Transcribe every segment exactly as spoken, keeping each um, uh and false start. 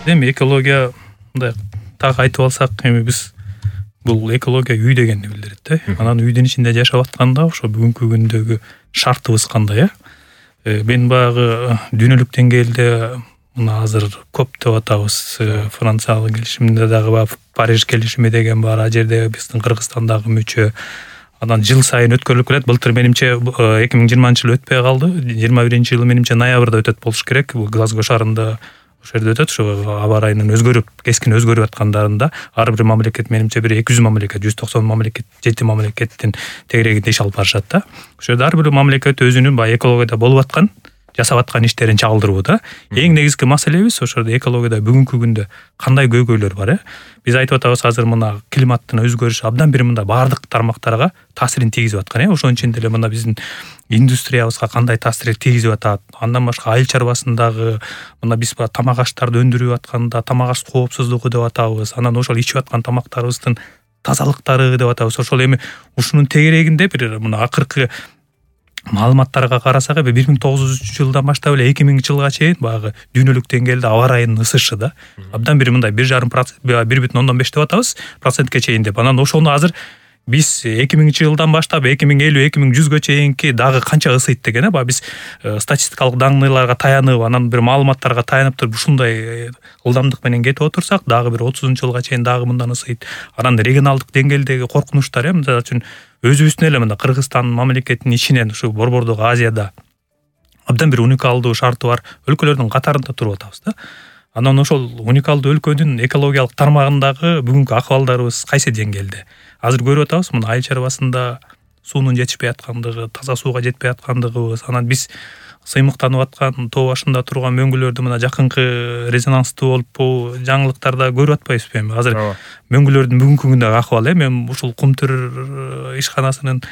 Эми экология мындай так айтып алсак, эми биз бул экология үй дегенди билдирет да. Анан үйдүн ичинде жашап атканда ошо бүгүнкү күндөгү шартыбыз кандай э? Мен баягы дүйнөлүк деңгээлде мына азыр коп деп атабыз, Франциялык келишимде дагы баягы Париж келишими деген бар, а жерде биздин Кыргызстандагы мүчө. Анан жыл сайын өткөрүлүп келет. Былтыр менимче эки миң жыйырманчы жыл өтпөй калды. жыйырма биринчи жылы менимче ноябрда өтөт болуш керек. Бул Глазго шаарында ошол жерде өтөт. Ошо аба ырайынын өзгөрүп, кескин өзгөрүп аткандарында ар бир мамлекет менимче бир эки жүз мамлекет, жүз токсон мамлекет, жети мамлекеттин тегерегинде иш алып барышат да. Ошол жерде ар бир мамлекет өзүнүн баягы экологияда болуп аткан, жасап аткан иштерин чагылдырууда. Эң негизги маселебиз ошол экологияда бүгүнкү күндө кандай көйгөйлөр бар э? Биз айтып атабыз азыр мына климаттын өзгөрүшү абдан бир мындай баардык тармактарга таасирин тийгизип аткан э? Ошонун ичинде эле мына биздин индустриябызга кандай таасир тийгизип атат. Андан башка айыл чарбасындагы мына биз тамак аштарды өндүрүп атканда тамак аш коопсуздугу деп атабыз. Анан ошол ичип аткан тамактарыбыздын тазалыктары деп атабыз. Ошол эми ушунун тегерегинде бир мына акыркы маалыматтарга карасак, бир миң тогуз жүзүнчү жылдан баштап эле эки миңинчи жылга чейин баягы дүйнөлүк деңгээлде аба ырайынын ысышы да абдан бир мындай бир жарым процент, бир бүтүн ондон беш деп атабыз, процентке чейин деп. Анан ошону азыр биз эки миңинчи жылдан баштап эки миң элүү эки миң жүзгө чейинки дагы канча ысыйт деген э? Баягы биз статистикалык данныйларга таянып, анан бир маалыматтарга таянып туруп ушундай ылдамдык менен кетип отурсак, дагы бир отузунчу жылга чейин дагы мындан ысыйт. Анан регионалдык деңгээлдеги коркунучтар э, мисалы үчүн өзүбүздүн эле мында Кыргызстан мамлекетинин ичинен ушу Борбордук Азияда абдан бир уникалдуу шарты бар өлкөлөрдүн катарында туруп атабыз да. Анан ошол уникалдуу өлкөнүн экологиялык тармагындагы бүгүнкү акыбалдарыбыз кайсы деңгээлде? Азыр көрүп атабыз, мына айыл чарбасында суунун жетишпей аткандыгы, таза сууга жетпей аткандыгыбыз. Анан биз сыймыктанып аткан тоо башында турган мөңгүлөрдү мына жакынкы резонанстуу болуп жаңылыктарда көрүп атпайбызбы эми? Азыр мөңгүлөрдүн бүгүнкү күндөгү акыбалы, мен ушул Кумтүр ишканасынын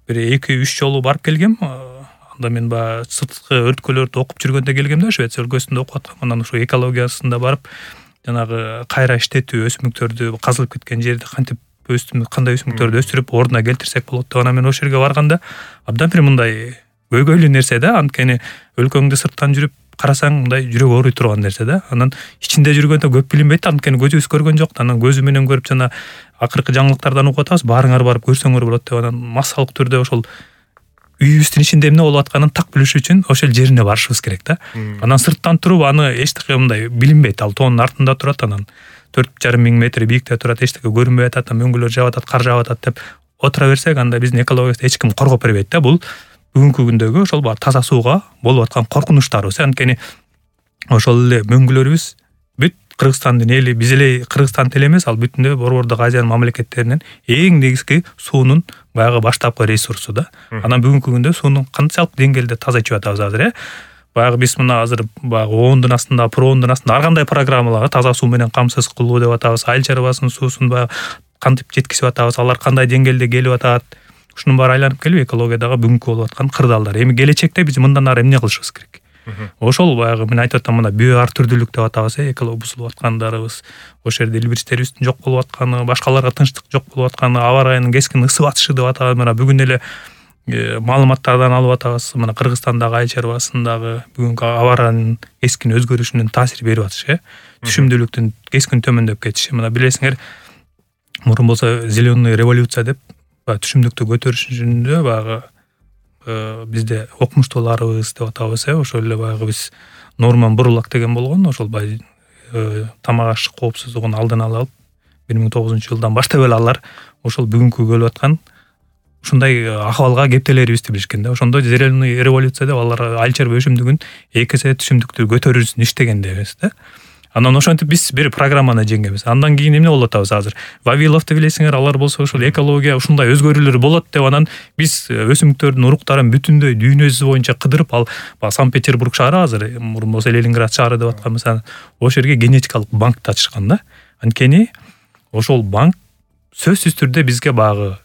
бир эки үч жолу барып келгем. Анда мен баягы сырткы өрткөлөрдү окуп жүргөндө келгем да, Швеция өлкөсүндө окуп аткам. Анан ошо экологиясында барып, жанагы кайра иштетүү өсүмдүктөрдү казылып кеткен жерди кантип өстүм кандай өсүмдүктөрдү өстүрүп ордуна келтирсек болот деп, анан мен ошол жерге барганда абдан бир мындай көйгөйлүү нерсе да. Анткени өлкөңдү сырттан жүрүп карасаң мындай жүрөк ооруй турган нерсе да. Анан ичинде жүргөндө көп билинбейт, анткени көзүбүз көргөн жок. Анан көзү менен көрүп жана акыркы жаңылыктардан угуп атабыз, баарыңар барып көрсөңөр болот деп. Анан массалык түрдө ошол үйүбүздүн ичинде эмне болуп атканын так билиш үчүн ошол жерине барышыбыз керек да. Анан сырттан туруп аны эчтеке мындай билинбейт. Ал тоонун артында турат, анан төрт жарым миң метр бийикте турат, эчтеке көрүнбөй атат, мөңгүлөр жаап атат, кар жаап атат деп отура берсек, анда биздин экологиябызды эч ким коргоп бербейт да. Бул бүгүнкү күндөгү ошол баа таза сууга болуп аткан коркунучтарыбыз. Анткени ошол эле мөңгүлөрүбүз бүт Кыргызстандын эли, биз эле Кыргызстан эле эмес, ал бүтүндөй Борбордук Азиянын мамлекеттеринин эң негизги суунун баягы баштапкы ресурсу да. Анан бүгүнкү күндө сууну канчалык деңгээлде таза ичип атабыз азыр э? Баягы биз мына азыр баягы оондун астында, проондун астында ар кандай программаларга таза суу менен камсыз кылуу деп атабыз. Айыл чарбасынын суусун баягы кантип жеткизип атабыз, алар кандай деңгээлде келип атат. Ушунун баары айланып келип экологиядагы бүгүнкү болуп аткан кырдаалдар. Эми келечекте биз мындан ары эмне кылышыбыз керек? Ошол баягы мен айтып атам, мына био ар түрдүүлүк деп атабыз э, эколог бузулуп аткандарыбыз, ошол жерде илбирчтерибиздин жок болуп атканы, башкаларга тынчтык жок болуп атканы, аба ырайынын кескин ысып атышы деп атабыз. Мына бүгүн эле маалыматтардан алып атабыз, мына Кыргызстандагы айыл чарбасындагы бүгүнкү аба ырайынын кескин өзгөрүшүнүн таасир берип атышы э, түшүмдүүлүктүн кескин төмөндөп кетиши. Мына билесиңер, мурун болсо зеленый революция деп түшүмдүктү көтөрүшүндө баягы бизде окумуштууларыбыз деп атабыз э, ошол эле баягы биз Норман Бурлак деген болгон, ошол баягы тамак аш коопсуздугун алдын ала алып бир миң тогузунчу жылдан баштап эле алар ошол бүгүнкү келип аткан ушундай акыбалга кептелерибизди билишкен да. Ошондо зеленый революция деп алар айыл чарба өсүмдүгүн эки эсе түшүмдүктү көтөрүү үчүн иштеген дебиз да. Анан ошентип биз бир программаны жеңгенбиз. Андан кийин эмне болуп атабыз азыр? Вавиловду билесиңер, алар болсо ошол экология ушундай өзгөрүүлөр болот деп, анан биз өсүмдүктөрдүн уруктарын бүтүндөй дүйнө жүзү боюнча кыдырып, ал Санкт-Петербург шаары азыр мурун болсо Ленинград шаары деп атканбыз, ошол жерге генетикалык банкты ачышкан да. Анткени ошол банк сөзсүз түрдө бизге баягы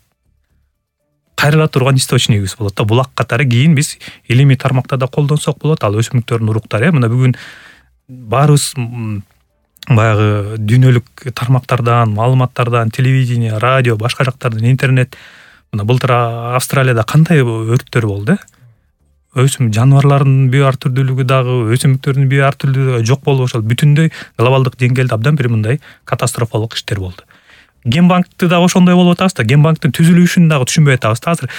кайрыла турган источнигибиз болот да. Булак катары кийин биз илимий тармакта да колдонсок болот. Ал өсүмдүктөрдүн уруктары мына бүгүн баарыбыз баягы дүйнөлүк тармактардан, маалыматтардан, телевидение, радио, башка жактардан, интернет. Мына былтыр Австралияда кандай өрттөр болду? өсүм жаныбарлардын био ар түрдүүлүгү дагы, өсүмдүктөрдүн био ар түрдүүлүгү жок болуп ошол бүтүндөй глобалдык деңгээлде абдан бир мындай катастрофалык иштер болду. Ген банкты дагы ошондой болуп атабыз да, ген банктын түзүлүшүн дагы түшүнбөй атабыз да азыр.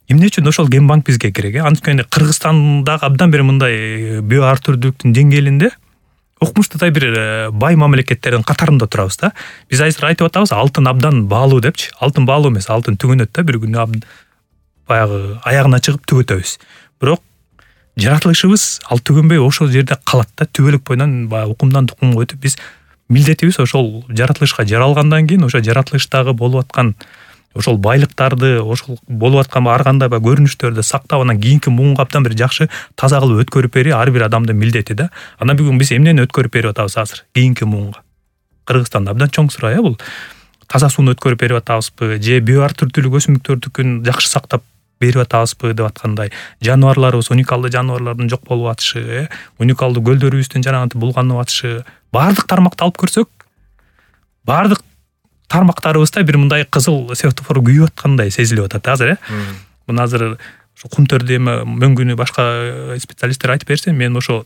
Эмне үчүн ошол ген банк бизге керек? Анткени Кыргызстандагы абдан бир мындай био ар түрдүүлүктүн деңгээлинде укмуштуудай бир бай мамлекеттердин катарында турабыз да. Биз азыр айтып атабыз, алтын абдан баалуу депчи. Алтын баалуу эмес, алтын түгөнөт да, бир күнү баягы аягына чыгып түгөтөбүз. Бирок жаратылышыбыз ал түгөнбөй ошол жерде калат да, түбөлүк боюнан баягы укумдан тукумга өтүп, биз милдетибиз ошол жаратылышка жаралгандан кийин ошол жаратылыштагы болуп аткан ошол байлыктарды, ошол болуп аткан ар кандай ба көрүнүштөрдү сактап, анан кийинки муунга абдан бир жакшы таза кылып өткөрүп берүү ар бир адамдын милдети да. Анан бүгүн биз эмнени өткөрүп берип атабыз азыр кийинки муунга? Кыргызстанда абдан чоң суроо э бул. Таза сууну өткөрүп берип атабызбы, же био ар түрдүүлүк өсүмдүктөрдүкүн жакшы сактап берип атабызбы деп аткандай. Жаныбарларыбыз, уникалдуу жаныбарлардын жок болуп атышы, э, уникалдуу көлдөрүбүздүн жанагынтип булганып атышы, баардык тармакты алып көрсөк, баардык тармактарыбызда бир мындай кызыл светофор күйүп аткандай сезилип атат азыр, э. Мына азыр ошо кум төрдү эме мөңгүнү башка специалисттер айтып берсе, мен ошо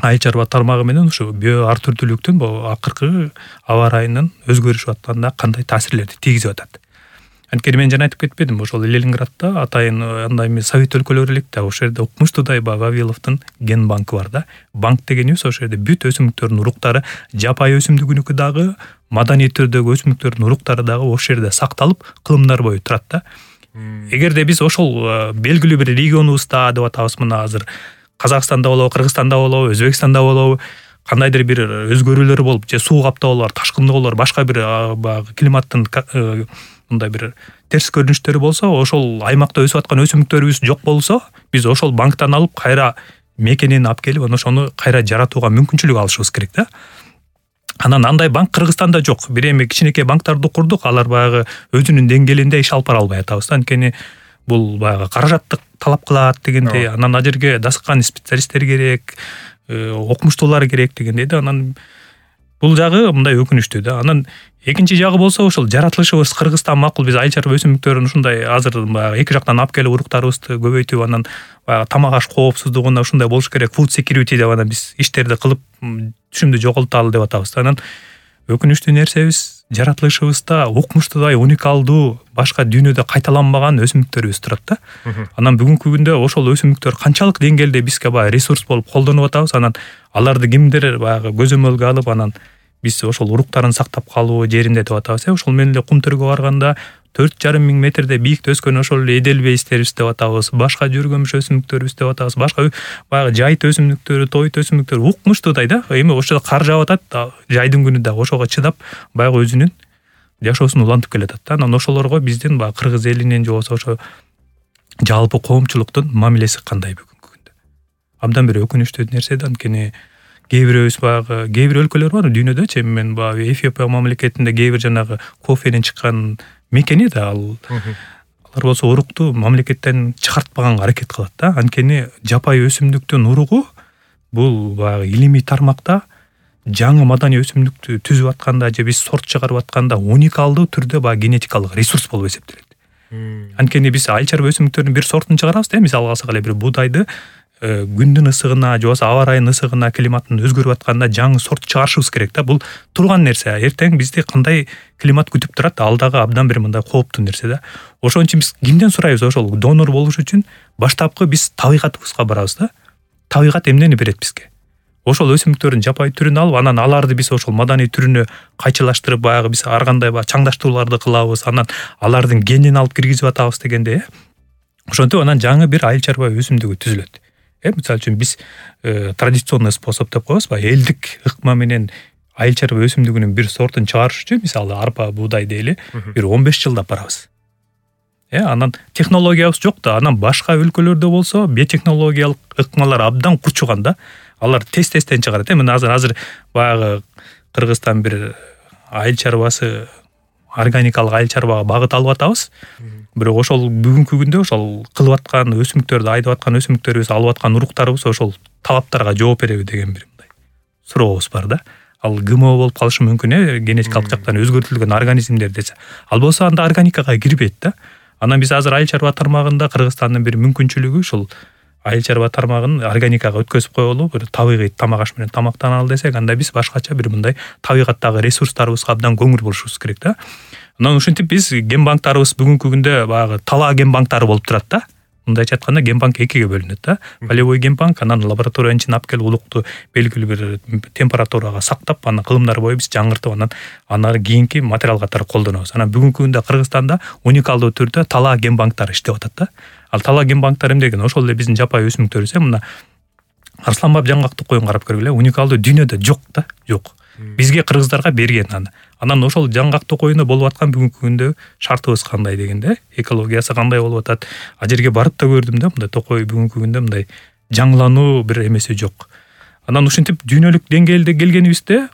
айыл чарба тармагы менен ошо био ар түрдүүлүктүн бул акыркы аба ырайынын өзгөрүшүп атканына кандай таасирлерди тийгизип атат. Анткени мен жана айтып кетпедим, ошол Ленинградда атайын андай эмес совет өлкөлөрү элек да, ошол жерде укмуштуудай Вавиловдун ген банкы бар да. Банк дегенибиз ошол жерде бүт өсүмдүктөрдүн уруктары, жапайы өсүмдүгүнүкү дагы, маданий түрдөгү өсүмдүктөрдүн уруктары дагы ошол жерде сакталып, кылымдар бою турат да. Эгерде биз ошол белгилүү бир регионубузда деп атабыз, мына азыр Казакстанда болобу, Кыргызстанда болобу, Өзбекстанда болобу, кандайдыр бир өзгөрүүлөр болуп, же суу каптоолор, ташкындоолор, башка бир баягы климаттын мындай бир терс көрүнүштөрү болсо, ошол аймакта өсүп аткан өсүмдүктөрүбүз жок болсо, биз ошол банктан алып кайра мекенин алып келип, анан ошону кайра жаратууга мүмкүнчүлүк алышыбыз керек да. Анан андай банк Кыргызстанда жок. Бир эми кичинекей банктарды курдук, алар баягы өзүнүн деңгээлинде иш алып бара албай атабыз да. Анткени бул баягы каражатты талап кылат дегендей, анан ал жерге дасыккан специалисттер керек, окумуштуулар керек дегендей да. Анан бул жагы мындай өкүнүчтүү да. Анан экинчи жагы болсо, ошол жаратылышыбыз Кыргызстан макул, биз айыл чарба өсүмдүктөрүн ушундай азыр баягы эки жактан алып келип уруктарыбызды көбөйтүп, анан баягы тамак аш коопсуздугуна ушундай болуш керек, food security деп анан биз иштерди кылып түшүмдү жоголталы деп атабыз да. Анан өкүнүчтүү нерсебиз, жаратылышыбызда укмуштуудай, уникалдуу, башка дүйнөдө кайталанбаган өсүмдүктөрүбүз турат да. Анан бүгүнкү күндө ошол өсүмдүктөр канчалык деңгээлде бизге баягы ресурс болуп колдонуп атабыз, анан аларды кимдир баягы көзөмөлгө алып, анан биз ошол уруктарын сактап калуу жеринде деп атабыз. Ошол менен эле кум төргө барганда төрт жарым миң метрде бийикте өскөн ошол эле эделбейстерибиз деп атабыз, башка жүргөмүш өсүмдүктөрүбүз деп атабыз, башка баягы жайыт өсүмдүктөрү, тойт өсүмдүктөрү укмуштуудай да. Эми ошо кар жаап атат, жайдын күнү дагы ошого чыдап, баягы өзүнүн жашоосун улантып келатат да. Анан ошолорго биздин баягы кыргыз элинин же болбосо ошо жалпы коомчулуктун мамилеси кандай бүгүнкү күндө? Абдан бир өкүнүчтүү нерсе да. Анткени кээ бирөөбүз баягы кээ бир өлкөлөр бар дүйнөдө, мен баягы Эфиопия мамлекетинде кээ бир жанагы кофенин чыккан мекени да, ал алар болсо урукту мамлекеттен чыгартпаганга аракет кылат да. Анткени жапайы өсүмдүктүн уругу бул баягы илимий тармакта жаңы маданий өсүмдүктү түзүп атканда же биз сорт чыгарып атканда уникалдуу түрдө баягы генетикалык ресурс болуп эсептелет. Анткени биз айыл чарба өсүмдүктөрүнүн бир сортун чыгарабыз да, мисалга алсак эле бир буудайды күндүн ысыгына же болбосо аба ырайынын ысыгына, климаттын өзгөрүп атканда жаңы сорт чыгарышыбыз керек да. Бул турган нерсе. Эртең бизди кандай климат күтүп турат, ал дагы абдан бир мындай кооптуу нерсе да. Ошон үчүн биз кимден сурайбыз ошол донор болуш үчүн? Баштапкы биз табигатыбызга барабыз да. Табигат эмнени берет бизге? Ошол өсүмдүктөрдүн жапайы түрүн алып, анан аларды биз ошол маданий түрүнө кайчылаштырып, баягы биз ар кандай баягы чаңдаштырууларды кылабыз, анан алардын генин алып киргизип атабыз дегенде, ошентип анан жаңы бир айыл чарба өсүмдүгү түзүлөт. Э, мисалы үчүн биз традиционный способ деп коебузбу, элдик ыкма менен айыл чарба өсүмдүгүнүн бир сортун чыгарыш үчүн, мисалы арпа, буудай дейли, бир он беш жылдап барабыз. Э, анан технологиябыз жок да. Анан башка өлкөлөрдө болсо биотехнологиялык ыкмалар абдан кучуган да. Алар тез-тезден чыгарат. Э, мына азыр азыр баягы Кыргызстан бир айыл чарбасы, органикалык айыл чарбага багыт алып атабыз. Бирок ошол бүгүнкү күндө ошол кылып аткан өсүмдүктөрдү айдап аткан өсүмдүктөрүбүз, алып аткан уруктарыбыз ошол талаптарга жооп береби деген бир мындай сурообуз бар да. Ал ГМО болуп калышы мүмкүн, э, генетикалык жактан өзгөртүлгөн организмдер десе. Ал болсо анда органикага кирбейт да. Анан биз азыр айыл чарба тармагында Кыргызстандын бир мүмкүнчүлүгү ушул айыл чарба тармагын органикага өткөзүп коелу, бир табигый тамак аш менен тамактаналы десек, анда биз башкача бир мындай табигаттагы ресурстарыбызга абдан көңүл бурушубуз керек да. Анан ушинтип биз ген банктарыбыз бүгүнкү күндө баягы талаа ген банктары болуп турат да. Мындайча айтканда ген банк экиге бөлүнөт да. Полевой ген банк, анан лабораториянын ичине алып келип улукту белгилүү бир температурага сактап, анан кылымдар бою биз жаңыртып, анан анан кийинки материал катары колдонобуз. Анан бүгүнкү күндө Кыргызстанда уникалдуу түрдө талаа ген банктары иштеп атат да. Ал талаа ген банктары эмне деген? Ошол эле биздин жапайы өсүмдүктөрүбүз, мына арсланбап жаңгактык коюн карап көргүлө, уникалдуу дүйнөдө жок да, жок. Бизге кыргыздарга берген аны. Анан ошол жаңгактык коюнда болуп аткан бүгүнкү күндө шартыбыз кандай дегенде, экологиясы кандай болуп атат. А жерге барып да көрдүм да, мындай токой бүгүнкү күндө мындай жаңылануу бир эмеси жок. Анан ушинтип дүйнөлүк деңгээлде келгенибизде,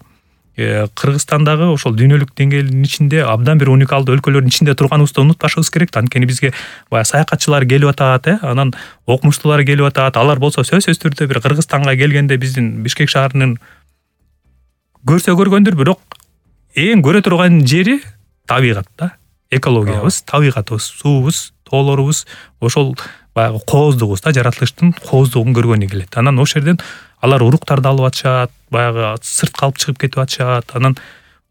Кыргызстандагы ошол дүйнөлүк деңгээлдин ичинде абдан бир уникалдуу өлкөлөрдүн ичинде турганыбызды унутпашыбыз керек. Анткени бизге баягы саякатчылар келип атат, э, анан окумуштуулар келип атат. Алар болсо сөзсүз түрдө бир Кыргызстанга келгенде биздин Бишкек шаарынын көрсө көргөндүр, бирок эң көрө турган жери табигат да, экологиябыз, табигатыбыз, суубуз, тоолорубуз, ошол баягы кооздугубуз да, жаратылыштын кооздугун көргөнү келет. Анан ошол жерден алар уруктарды алып атышат, баягы сыртка алып чыгып кетип атышат. Анан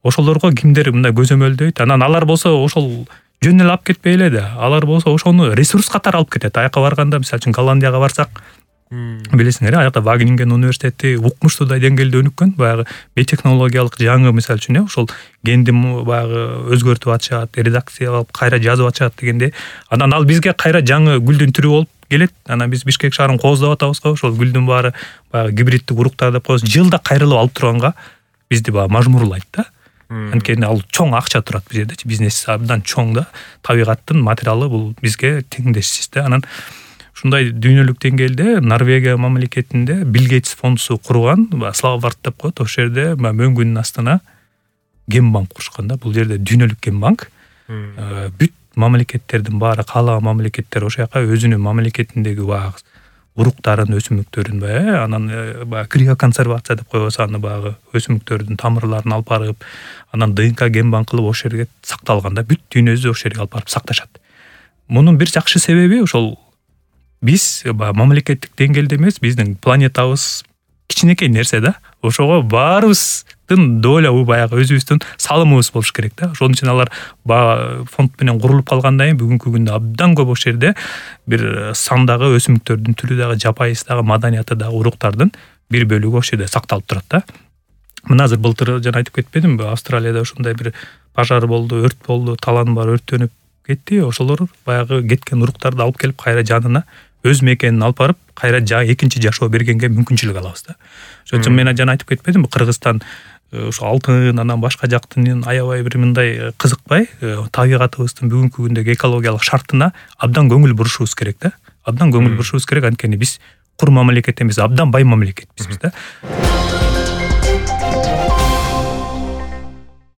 ошолорго кимдер мындай көзөмөлдөйт. Анан алар болсо ошол жөн эле алып кетпей эле да, алар болсо ошону ресурс катары алып кетет. Аяка барганда, мисалы үчүн Голландияга барсак, билесиңер, аяка Вагенинген университети укмуштуудай деңгээлде өнүккөн, баягы биотехнологиялык жаңы, мисалы үчүн, ошол генди баягы өзгөртүп атышат, редакция кылып кайра жазып атышат дегенде, анан ал бизге кайра жаңы гүлдүн түрү болуп келет. Анан биз Бишкек шаарын кооздоп атабыз го, ошол гүлдүн баары баягы гибриддик уруктар деп коебуз. Жылда кайрылып алып турганга бизди баягы мажмурлайт да. Анткени ал чоң акча турат бул жерде, бизнес абдан чоң да. Табигаттын материалы бул бизге теңдешсиз да. Анан ушундай дүйнөлүк деңгээлде Норвегия мамлекетинде Билл Гейтс фондусу курган, Славбард деп коет, ошол жерде мөңгүнүн астына ген банк курушкан да. Бул жерде дүйнөлүк ген банк. Бүт мамлекеттердин баары, каалаган мамлекеттер ошол жака өзүнүн мамлекетиндеги баягы уруктарын, өсүмдүктөрүн баягы, анан баягы криоконсервация деп коебуз, аны баягы өсүмдүктөрдүн тамырларын алып барып, анан ДНК ген банк кылып ошол жерге сакталган да. Бүт дүйнөбүздү ошол жерге алып барып сакташат. Мунун бир жакшы себеби ошол биз мамлекеттик деңгээлде эмес, биздин планетабыз кичинекей нерсе да. Ошого баарыбыздын доля баягы өзүбүздүн салымыбыз болуш керек да. Ошон үчүн алар фонд менен курулуп калгандан кийин бүгүнкү күндө абдан көп ошол жерде бир сандагы өсүмдүктөрдүн түрү дагы, жапайысы дагы, маданияты дагы, уруктардын бир бөлүгү ошол жерде сакталып турат да. Мына азыр былтыр жана айтып кетпедимби, Австралияда ушундай бир пожар болду, өрт болду, талан бар өрттөнүп кетти. Ошолор баягы кеткен уруктарды алып келип кайра жанына өз мекенин алып барып, кайра экинчи жашоо бергенге мүмкүнчүлүк алабыз да. Ошон үчүн мен жана айтып кетпедимби, Кыргызстан ошо алтын, анан башка жактын аябай бир мындай кызыкпай, табигатыбыздын бүгүнкү күндөгү экологиялык шартына абдан көңүл бурушубуз керек да. Абдан көңүл бурушубуз керек, анткени биз кур мамлекет эмес, абдан бай мамлекетпиз биз да.